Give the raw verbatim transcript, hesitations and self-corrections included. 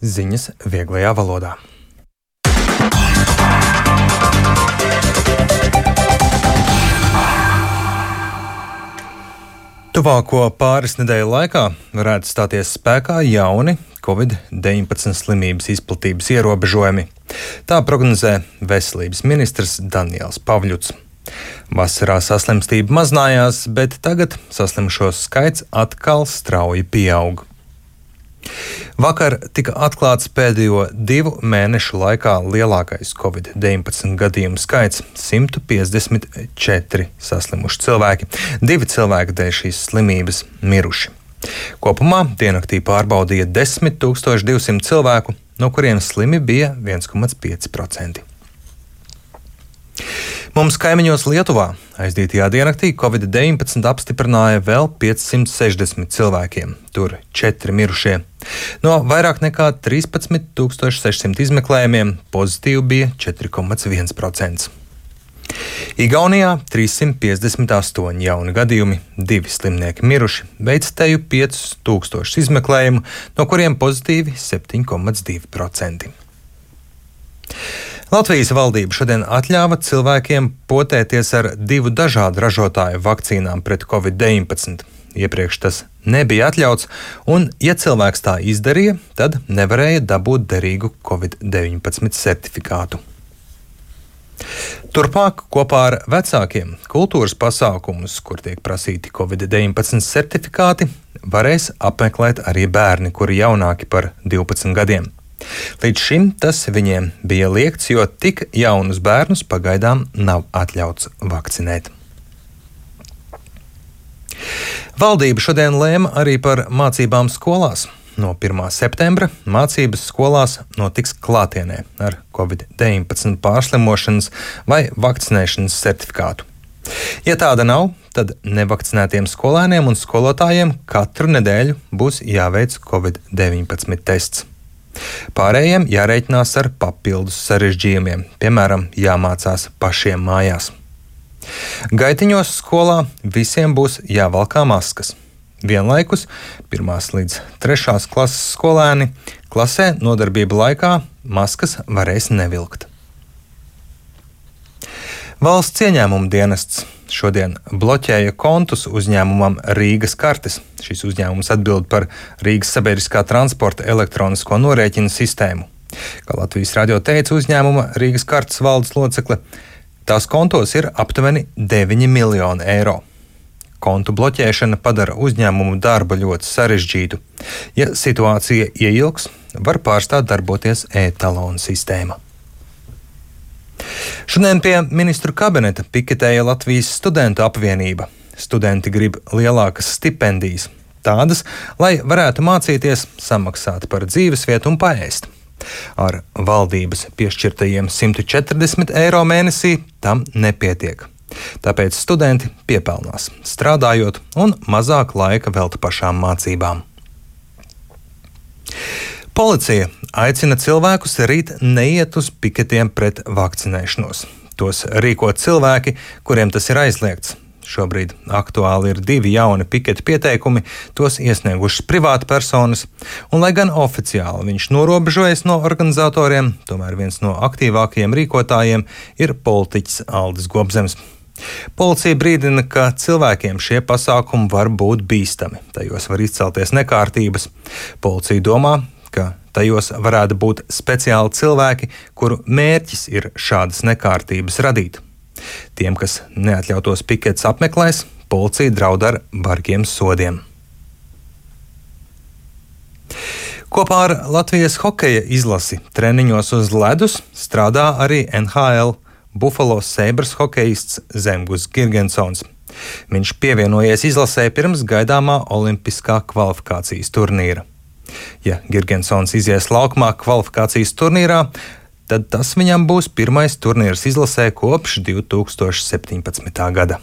Ziņas vieglajā valodā. Tuvāko pāris nedēļu laikā varētu stāties spēkā jauni covid deviņpadsmit slimības izplatības ierobežojumi. Tā prognozē veselības ministrs Daniels Pavļuts. Vasarā saslimstība mazinājās, bet tagad saslimušo skaits atkal strauji pieaug. Vakar tika atklāts pēdējo divu mēnešu laikā lielākais covid deviņpadsmit gadījumu skaits - simt piecdesmit četri saslimuši cilvēki. Divi cilvēki dēļ šīs slimības miruši. Kopumā diennaktī pārbaudīja desmit tūkstoši divsimt cilvēku, no kuriem slimi bija viens komats pieci procenti. Mums kaimiņos Lietuvā aizdītajā diennaktī covid deviņpadsmit apstiprināja vēl piecsimt sešdesmit cilvēkiem, tur četri mirušie. No vairāk nekā trīspadsmit tūkstoši sešsimt izmeklējumiem pozitīvi bija četri komats viens procents. Igaunijā trīssimt piecdesmit astoņi jauni gadījumi, divi slimnieki miruši, veic teju piecus tūkstošus izmeklējumu, no kuriem pozitīvi septiņi komats divi procenti. Latvijas valdība šodien atļāva cilvēkiem potēties ar divu dažādu ražotāju vakcīnām pret covid deviņpadsmit. Iepriekš tas nebija atļauts, un, ja cilvēks tā izdarīja, tad nevarēja dabūt derīgu covid deviņpadsmit certifikātu. Turpmāk kopā ar vecākiem kultūras pasākumus, kur tiek prasīti covid deviņpadsmit certifikāti, varēs apmeklēt arī bērni, kuri jaunāki par divpadsmit gadiem. Līdz šim tas viņiem bija liegts, jo tik jaunus bērnus pagaidām nav atļauts vakcinēt. Valdība šodien lēma arī par mācībām skolās. No pirmā septembra mācības skolās notiks klātienē ar covid deviņpadsmit pārslimošanas vai vakcinēšanas certifikātu. Ja tāda nav, tad nevakcinētiem skolēniem un skolotājiem katru nedēļu būs jāveic covid deviņpadsmit tests. Pārējiem jārēķinās ar papildus sarežģījumiem, piemēram, jāmācās pašiem mājās. Gaitiņos skolā visiem būs jāvalkā maskas. Vienlaikus pirmās līdz trešās klases skolēni klasē nodarbību laikā maskas varēs nevilkt. Valsts ieņēmuma dienests šodien bloķēja kontus uzņēmumam Rīgas kartes. Šis uzņēmums atbild par Rīgas sabiedriskā transporta elektronisko norēķinu sistēmu. Kā Latvijas radio teica uzņēmuma Rīgas kartes valdes locekle, tās kontos ir aptuveni deviņi miljoni eiro. Kontu bloķēšana padara uzņēmumu darbu ļoti sarežģītu. Ja situācija ieilgs, var pārstāt darboties e-talonu sistēma. Šodien pie ministru kabineta piketēja Latvijas studentu apvienība. Studenti grib lielākas stipendijas, tādas, lai varētu mācīties, samaksāt par dzīvesvietu un paēst. Ar valdības piešķirtajiem simt četrdesmit eiro mēnesī tam nepietiek. Tāpēc studenti piepelnās, strādājot un mazāk laika velta pašām mācībām. Policija aicina cilvēkus rīt neiet uz piketiem pret vakcinēšanos. Tos rīko cilvēki, kuriem tas ir aizliegts. Šobrīd aktuāli ir divi jauni piketa pieteikumi, tos iesniegušas privātpersonas, un lai gan oficiāli viņš norobežojas no organizatoriem, tomēr viens no aktīvākajiem rīkotājiem ir politiķis Aldis Gobzems. Policija brīdina, ka cilvēkiem šie pasākumi var būt bīstami, tajos var izcelties nekārtības. Policija domā, ka tajos varētu būt speciāli cilvēki, kuru mērķis ir šādas nekārtības radīt. Tiem, kas neatļautos piketus apmeklēs, policija draud ar bargiem sodiem. Kopā ar Latvijas hokeja izlasi treniņos uz ledus strādā arī N H L Buffalo Sabres hokejists Zemgus Girgensons. Viņš pievienojies izlasē pirms gaidāmā olimpiskā kvalifikācijas turnīra. Ja Girgensons izies laukumā kvalifikācijas turnīrā, tad tas viņam būs pirmais turnīrs izlasē kopš divi tūkstoši septiņpadsmitā gada.